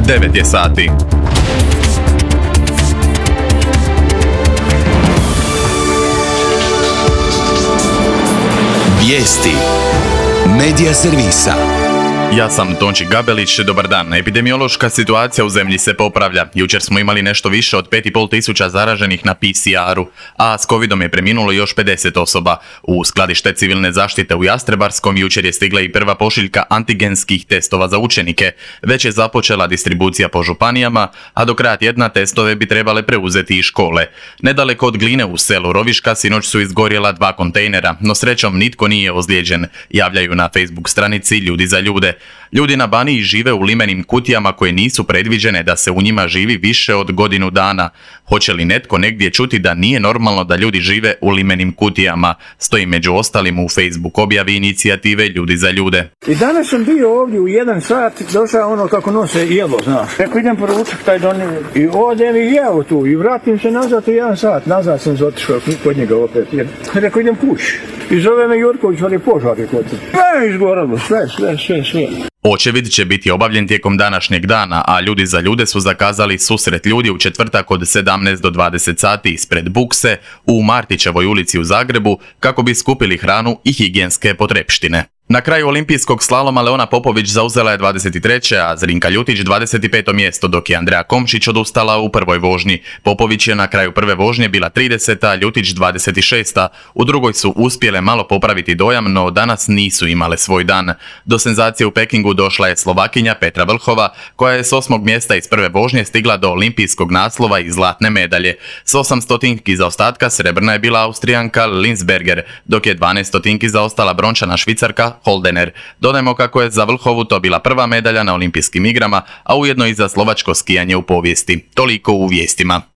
9 je sati. Vijesti Medija servisa. Ja sam Tonči Gabelić, dobar dan. Epidemiološka situacija u zemlji se popravlja. Jučer smo imali nešto više od 5,5 tisuća zaraženih na PCR-u, a s covidom je preminulo još 50 osoba. U skladište civilne zaštite u Jastrebarskom jučer je stigla i prva pošiljka antigenskih testova za učenike. Već je započela distribucija po županijama, a do kraja tjedna testove bi trebale preuzeti i škole. Nedaleko od Gline u selu Roviška sinoć su izgorjela 2 kontejnera, no srećom nitko nije ozlijeđen, javljaju na Facebook stranici Ljudi za ljude. Ljudi na Baniji žive u limenim kutijama koje nisu predviđene da se u njima živi više od godinu dana. Hoće li netko negdje čuti da nije normalno da ljudi žive u limenim kutijama? Stoji među ostalim u Facebook objavi inicijative Ljudi za ljude. I danas sam bio ovdje u 1 sat, došao ono kako nose jelo, znaš. Rekao idem poručak taj donio i odem i jeo tu i vratim se nazad u 1 sat. Nazad sam otišao kod njega opet. Rekao idem kući. I zove me Jurković, on je požar je kod se. Sve izgoralo, sve. Očevid će biti obavljen tijekom današnjeg dana, a Ljudi za ljude su zakazali susret ljudi u četvrtak od 17 do 20 sati ispred Bukse u Martićevoj ulici u Zagrebu kako bi skupili hranu i higijenske potrepštine. Na kraju olimpijskog slaloma Leona Popović zauzela je 23. a Zrinka Ljutić 25. mjesto, dok je Andreja Komšić odustala u prvoj vožnji. Popović je na kraju prve vožnje bila 30. a Ljutić 26. U drugoj su uspjele malo popraviti dojam, no danas nisu imale svoj dan. Do senzacije u Pekingu došla je Slovakinja Petra Vlhova, koja je s 8. mjesta iz prve vožnje stigla do olimpijskog naslova i zlatne medalje. S 8 stotinki zaostatka srebrna je bila Austrijanka Linsberger, dok je 12 stotinki zaostala brončana Švicarka Holdener. Dodajmo kako je za Vlhovu to bila prva medalja na olimpijskim igrama, a ujedno i za slovačko skijanje u povijesti. Toliko u vijestima.